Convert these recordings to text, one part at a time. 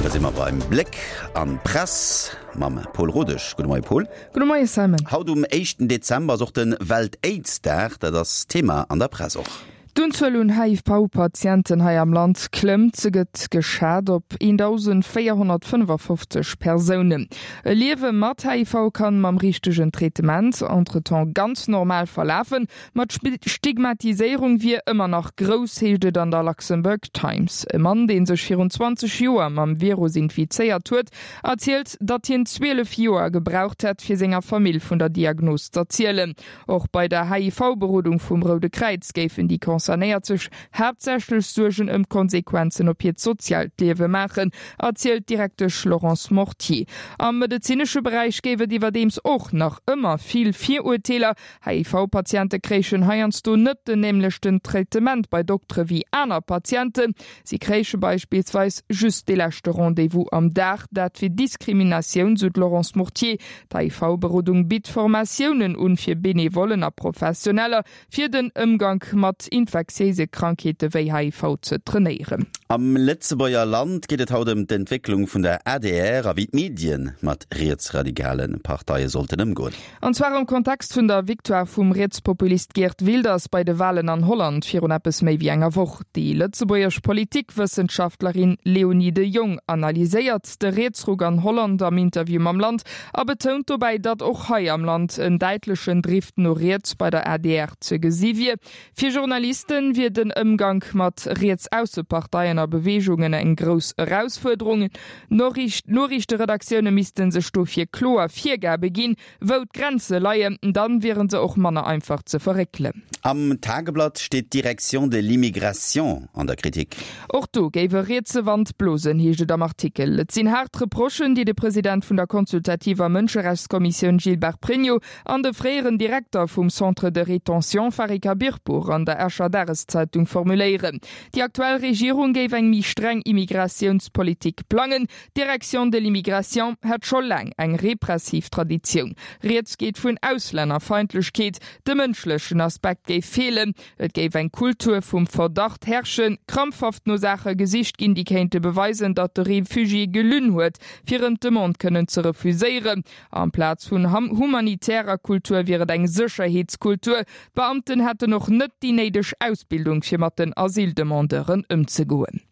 An da si mer beim Bléck an d'Press mam Paul Rodesch. Gudde Moie Paul. Gudde Moie Simon. Haut um éischten Dezember ass och de Welt-Aids-Dag. Dat ass Thema an der Press och. D'Unzuel un HIV-Patienten hei am Land klëmmt. Se gëtt geschat op 1.455 Persounen. E Liewe mat HIV kann mam richtegen Traitement entretemps ganz normal verlafen, ma d'Stigmatiséierung wier ëmmer nach grouss, heescht et an der Luxembourg Times. E Mann, dee sech virun 20 Joer mam Virus infizéiert huet, erzielt, datt hien 12 Joer gebraucht hätt, fir senger Famill vun der Diagnos z'erzielen. Och bei der HIV-Berodung vum Roude Kräiz géifen déi Concernéiert sech haaptsächlech Suergen ëm d'Konsequenzen op hiert soziaalt Liewe maachen, erzielt d'Direktesch Laurence Mortier. Am medezinesche Beräich géif et iwwerdeems och nach ëmmer vill Virurteeler. HIV-Patiente kréichen heiansdo net den nämlechten Traitement bei Doktere wéi aner Patienten. Si kréiche beispillsweis just dee leschte Rendez-vous am Dag. Dat wier Diskriminatioun, sou d'Laurence Mortier. D'HIV-Berodung bitt Formatiounen un fir Benevollen a Professioneller, fir den Ëmgank mat infektiéise Krankheete wéi HIV ze trainéieren. Am Lëtzebuerger Land geet et haut ëm d'Entwécklung vun der adr a wéi d'Medien mat rietsradikale Parteie sollten ëmgoen. An zwar am Kontext vun der Victoire vum Rietspopulist Geert Wilders bei de Walen an Holland virun eppes méi wéi enger Woch. Déi lëtzebuergesch Politikwëssenschaftlerin Léonie de Jong analyséiert de Rietsruck an Holland am Interview mam Land a betount dobäi, datt och hei am Land en däitlechen Drift no riets bei der adr ze gesi wier. Fir Journaliste wier den Ëmgank mat Rietsausseparteien a Beweegungen eng grouss Erausfuerderung. D'Noriichteredaktioune misste sech dofir kloer Virgabe ginn, wou d'Grenze leien, dann wiere se och manner einfach ze verréckelen. Am Tageblatt steet d'Direction de l'immigration an der Kritik. Och do géif e rietse Wand blosen, heescht et am Artikel. Et sinn haart Reprochen, déi de President vun der consultativer Mënscherechtskommissioun Gilbert Pregno An de fréieren Direkter vum Centre de rétention Fari Khabirpour an der Escher Dageszeitung formuléieren, déi aktuell Regierung géif eng méi streng Immigratiounspolitik plangen. D'Direction de l'immigration hätt scho laang eng repressiv Traditioun. Rieds geet vun Auslännerfeindlechkeet, de mënschlechen Aspekt géif feelen, et géif eng Kultur vum Verdacht herrschen, krampfhaft no Saache gesicht ginn, déi kéinte beweisen, datt de Refugié gelunn huet, fir ëm d'Demande kënnen ze refuséieren. Amplaz vun humanitärer Kultur wier et eng Sécherheetskultur. D'Beamten hätten och net déi néideg Ausbildung, fir mat den Asyldemandeuren ëmzegoen.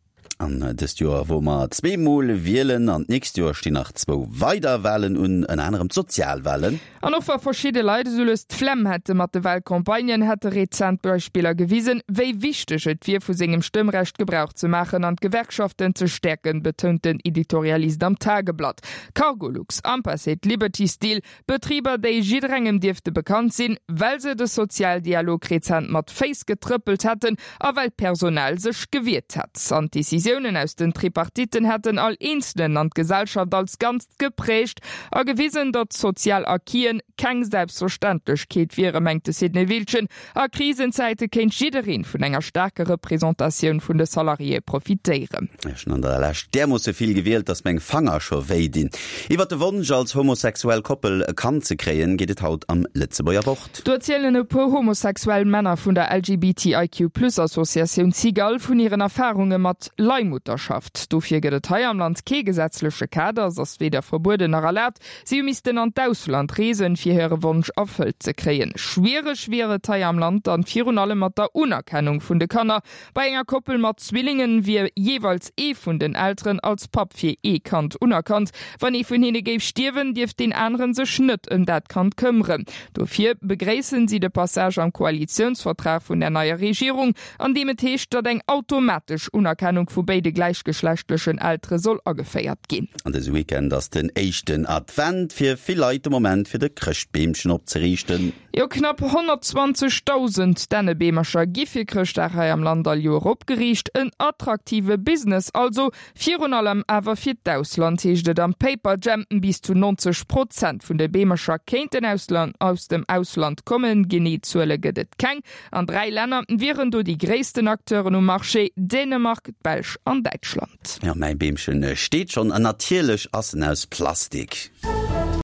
An dëst Joer wou mer zweemol wielen an d'nächst Joer stinn nach zwou weider Walen un, ënner anerem d'Sozialwalen. An och wa verschidde Leit esou lues d'Flemm hätte mat de Walcampagnen, hätte rezent Beispiller gewisen, wéi wichteg et wier, vu sengem Stëmmrecht Gebrauch ze maachen an d'Gewerkschaften ze stäerken, betount den Editorialist am Tageblatt. Cargolux, Ampacet, Liberty Steel, Betriber déi jidderengem dierfte bekannt sinn, well se de Sozialdialog rezent mat Féiss getrëppelt hätten a well d'Personal sech gewiert hätt. An d'Decisiounen aus den Tripartitten hätten all Eenzelen an d'Gesellschaft als Ganzt geprägt a gewisen, datt sozial Acquisen keng Selbstverständlechkeet wieren, mengt de Sidney Wiltgen. A Krisenzäite kéint jiddereen vun enger staarker Representatioun vun de Salariéë profitéieren. Ech hunn an der Lescht därmoosse vill gewielt, dass meng Fanger scho wéi dinn. Iwwer de Wonsch, als homosexuell Koppel e Kand ze kréien, geet et haut am Lëtzebuerger Wort. Do erzielen e puer homosexuell Männer vun der LGBTIQ-Plus-Associatioun Cigale vun hiren Erfarunge mat Leihmutterschaft. Dofir gëtt et hei am Land kee gesetzleche Kader, se ass weder verbueden nach erlaabt. Si hu missten an d'Ausland reesen, fir hire Wonsch erfëllt ze kréien. Schwiereg wier et hei am Land dann virun allem mat der Unerkennung vun de Kanner. Bei enger Koppel mat Zwillingen wier jeeweils ee vun den Elteren als Papp fir ee Kand unerkannt. Wann ee vun hinne géif stierwen, dierft deen aneren sech net ëm dat Kand këmmeren. Dofir begréissen si de Passage am Koalitiounsvertrag vun der neier Regierung, an deem et heescht, datt eng automatesch Unerkennung vu béide gläichgeschlechtlechen Eltere soll ageféiert ginn. An dëse Weekend ass den éischten Advent, fir vill Leit de Moment fir de Chrëschtbeemchen opzeriichten. Jo, knapp 120.000 Dännebeemercher gi fir Chrëschtdag hei am Land all Joer opgeriicht. En attraktive Business also, virun allem awer fir d'Ausland, heescht et am Paperjam. Bis zu 90 Prozent vun de Beemercher kéinten aus dem Ausland kommen, genee Zuele gëtt et keng. An 3 Länner wieren do déi gréissten Acteuren um Marché, Dänemark, d'Belsch an Däitschland. Jo, mäi Beemchen steet schonn an natierlech ass en aus Plastik.